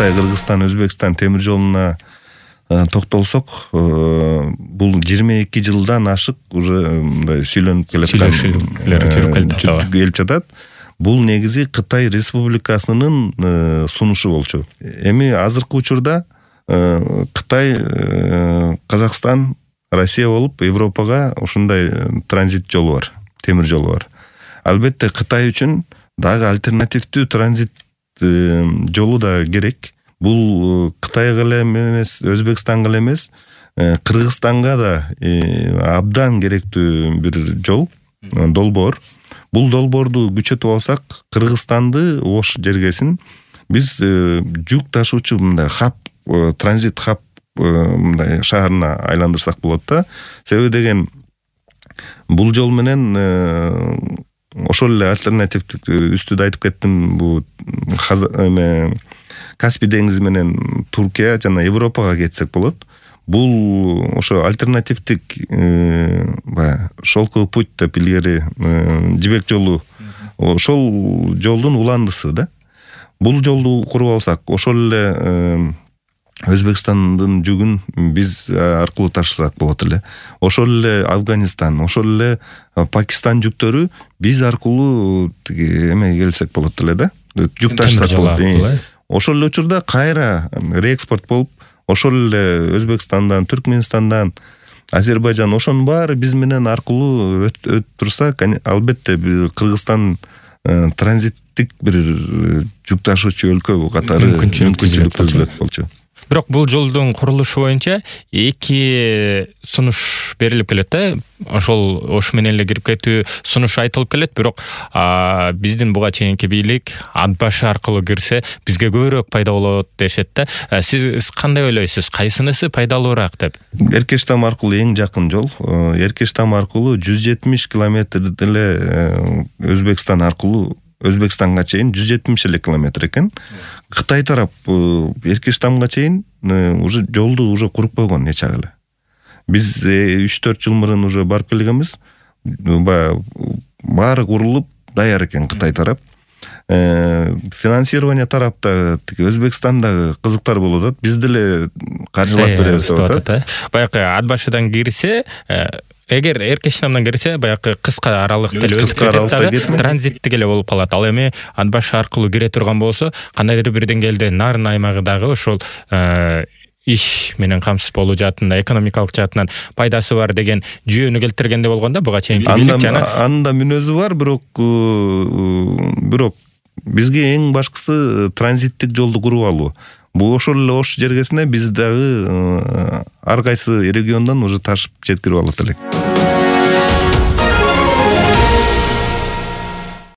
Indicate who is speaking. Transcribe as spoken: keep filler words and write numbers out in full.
Speaker 1: Кытай, Кыргызстан, Өзбекстан темир жолуна токтолсок, бул жыйырма эки жылдан ашык уже мындай сүйлөнүп келаткан жүрүп келип жатат. Бул негизи Кытай Республикасынын сунушу болчу. Эми азыркы учурда Кытай, Казакстан, Россия болуп Европага ушундай транзит жолу бар, темир жолу бар. Албетте Кытай үчүн дагы альтернативдүү транзит жолу да керек. Бул Кытайга эле эмес, Өзбекстанга эле эмес, Кыргызстанга да абдан керектүү бир жол, долбоор. Бул долбоорду күчөтүп алсак, Кыргызстанды Ош жергесин биз жүк ташуучу мындай хаб, транзит хаб мындай шаарына айландырсак болот да. Себеби деген бул жол менен ошол эле альтернативдик үстүдө айтып кеттим, бул Каспий деңизи менен Туркия жана Европага кетсек болот. Бул ошо альтернативдик баягы шелковый путь деп илгери жибек жолу, ошол жолдун уландысы да. Бул жолду куруп алсак, ошол эле Өзбекстандын жүгүн биз аркылуу ташысак болот эле. Ошол эле Афганистан, ошол эле Пакистан жүктөрү биз аркылуу эме келсек болот эле да. Жүк ташысак болот. Ошол эле учурда кайра реэкспорт болуп, ошол эле Өзбекстандан, Түркменистандан, Азербайжан, ошонун баары биз менен аркылуу өтүп турса, албетте Кыргызстан транзиттик бир жүк ташуучу өлкө катары мүмкүнчүлүк түзүлөт болчу.
Speaker 2: Бирок бул жолдун курулушу боюнча эки сунуш берилип келет да. Ошол Ош менен эле кирип кетүү сунуш айтылып келет, бирок биздин буга чейинки бийлик ат башы аркылуу кирсе бизге көбүрөөк пайда болот дешет да. Сиз кандай ойлойсуз? Кайсынысы пайдалуураак деп?
Speaker 1: Эркештам аркылуу эң жакын жол. Эркештам аркылуу жүз жетимиш километр эле Өзбекстан аркылуу Өзбекстанга чейин жүз жетимиш эле километр экен. Кытай тарап Эркештамга чейин уже жолду уже куруп койгон нече эле. Биз үч төрт жыл мурун уже барып келгенбиз. Баары курулуп даяр экен Кытай тарап. Финансирование тарапта Өзбекстандагы кызыктар болуп атат. Биз деле каржылап беребиз деп атат.
Speaker 2: Баягы ат башыдан кирсе, эгер Эркештамдан кирсе, баягы кыска аралыкта эле өтүп транзиттик эле болуп калат. Ал эми ат башы аркылуу кире турган болсо, кандайдыр бир деңгээлде нарын аймагы дагы ошол иш менен камсыз болуу жаатында, экономикалык жаатынан пайдасы бар деген жүйөнү келтиргенде болгондо буга чейинки бийлик жана
Speaker 1: анда мүнөзү бар, бирок бирок бизге эң башкысы транзиттик жолду куруп алуу. Бул ошол эле Ош жергесине биз дагы ар кайсы региондон уже ташып жеткирип алат элек.